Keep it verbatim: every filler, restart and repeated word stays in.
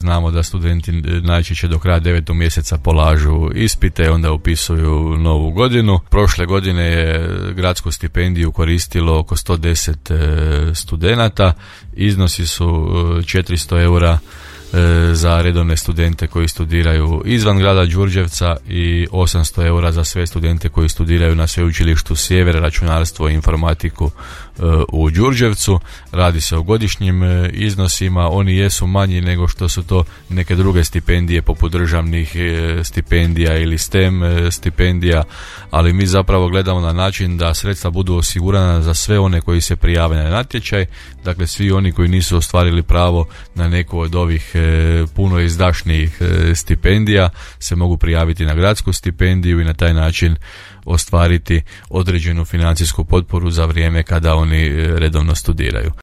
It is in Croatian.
Znamo da studenti najčešće do kraja devetog mjeseca polažu ispite, onda upisuju novu godinu. Prošle godine je gradsku stipendiju koristilo oko sto deset studenata. Iznosi su četiristo eura za redovne studente koji studiraju izvan grada Đurđevca i osamsto eura za sve studente koji studiraju na Sveučilištu Sjever, računarstvo i informatiku u Đurđevcu. Radi se o godišnjim iznosima, oni jesu manji nego što su to neke druge stipendije poput državnih stipendija ili STEM stipendija, ali mi zapravo gledamo na način da sredstva budu osigurana za sve one koji se prijave na natječaj, dakle svi oni koji nisu ostvarili pravo na neku od ovih puno izdašnijih stipendija se mogu prijaviti na gradsku stipendiju i na taj način ostvariti određenu financijsku potporu za vrijeme kada oni redovno studiraju.